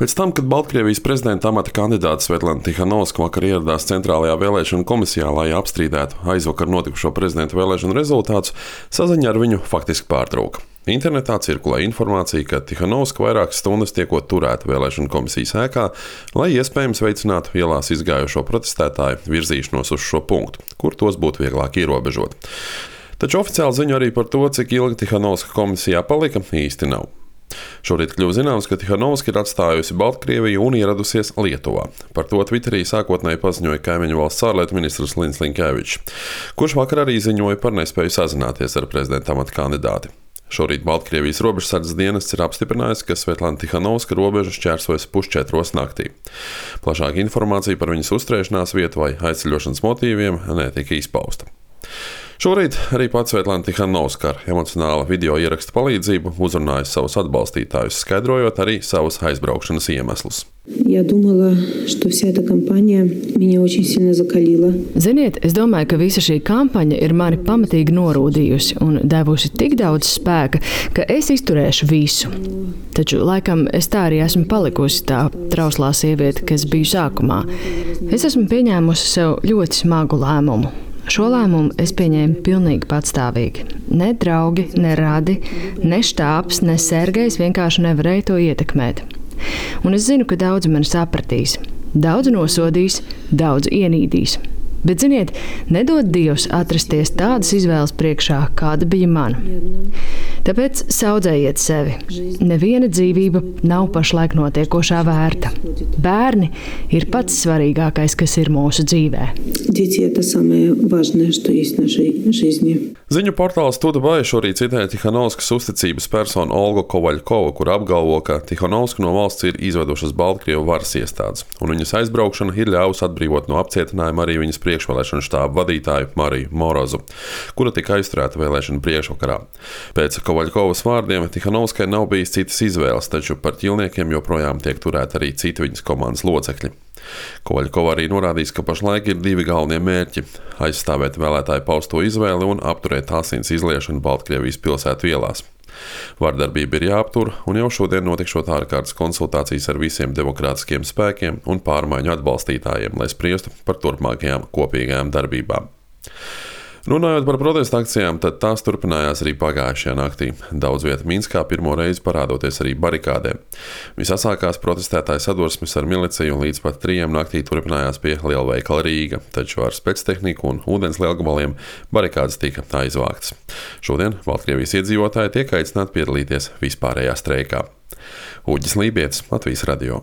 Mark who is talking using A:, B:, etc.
A: Pēc tam, kad Baltkrievijas prezidenta amata kandidāte Svetlana Tihanovska vakar ieradās Centrālajā vēlēšanu komisijā, lai apstrīdētu aizvakar notikušo prezidenta vēlēšanu rezultātus, saziņa ar viņu faktiski pārtrauka. Internetā cirkulē informācija, ka Tihanovska vairākas stundas tiekot turēta vēlēšanu komisijas ēkā, lai iespējams veicinātu ielās izgājušo protestētāju virzīšanos uz šo punktu, kur tos būtu vieglāk ierobežot. Taču oficiāli ziņu arī par to, cik ilgi Tihanovska komisijā palika, īsti nav. Šorīt kļuva zināms, ka Tihanovska ir atstājusi Baltkrieviju un ieradusies Lietuvā. Par to Twitterī sākotnēji paziņoja kaimiņu valsts ārlietu ministrs Lins Linkevičs, kurš vakar arī ziņoja par nespēju sazināties ar prezidenta amata kandidāti. Šorīt Baltkrievijas robežsardzes dienests ir apstiprinājis, ka Svetlana Tihanovska robežu šķērsojas 3:30 naktī. Plašāka informācija par viņas uzturēšanās vietu vai aizceļošanas motīviem netika izpausta. Šorīt arī pats Svetlana Tihanovska ar emocionāla video ieraksta palīdzību uzrunāja savus atbalstītājus, skaidrojot arī savus aizbraukšanas iemeslus.
B: Ziniet, es domāju, ka visa šī kampaņa ir mani pamatīgi norūdījusi un devusi tik daudz spēka, ka es izturēšu visu. Taču, laikam, es tā arī esmu palikusi tā trauslā sieviete, kas biju sākumā. Es esmu pieņēmusi sev ļoti smagu lēmumu. Šo lēmumu es pieņēmu pilnīgi patstāvīgi. Ne draugi, ne radi, ne štābs, ne Sergejs vienkārši nevarēja to ietekmēt. Un es zinu, ka daudzi mani sapratīs. Daudzi nosodīs, daudzi ienīdīs. Bet, ziniet, nedod Dievs atrasties tādas izvēles priekšā, kāda bija mana. Tāpēc saudzējiet sevi. Neviena dzīvība nav pašlaik notiekošā vērta. Bērni ir pats svarīgākais, kas ir mūsu dzīvē.
A: Ziņu portāls Tudabaj šorīt citēja Tihanovskas uzticības personu Olgu Kovaļkovu, kur apgalvo, ka Tihanovska no valsts ir izvedušas Baltkrievu varas iestādes, un viņas aizbraukšana ir ļāvusi atbrīvot no apcietinājuma arī viņas priekšvēlēšanu štābu vadītāju Mariju Morozu, kura tika aizturēta vēlēšanu priekšvakarā. Pēc Kovaļkovas vārdiem Tihanovskai nav bijis citas izvēles, taču par ķīlniekiem joprojām tiek turēti arī citi viņas komandas locekļi. Kovaļkova arī norādījis, ka pašlaik ir divi galvenie mērķi – aizstāvēt vēlētāju pausto izvēli un apturēt asins izliešanu Baltkrievijas pilsētu ielās. Vardarbība ir jāaptur, un jau šodien notikšot ārkārtas konsultācijas ar visiem demokrātiskiem spēkiem un pārmaiņu atbalstītājiem, lai spriestu par turpmākajām kopīgajām darbībām. Runājot par protesta akcijām, tad tās turpinājās arī pagājušajā naktī. Daudz vieta Minskā pirmo reizi parādoties arī barikādēm. Visasākās protestētāju sadursmes ar miliciju un līdz pat 3 naktī turpinājās pie lielveikala Rīga, taču ar spectehniku un ūdens lielgabaliem barikādes tika aizvāktas. Šodien Baltkrievijas iedzīvotāji tiek aicināti piedalīties vispārējā streikā. Uģis Lībietis, Latvijas radio.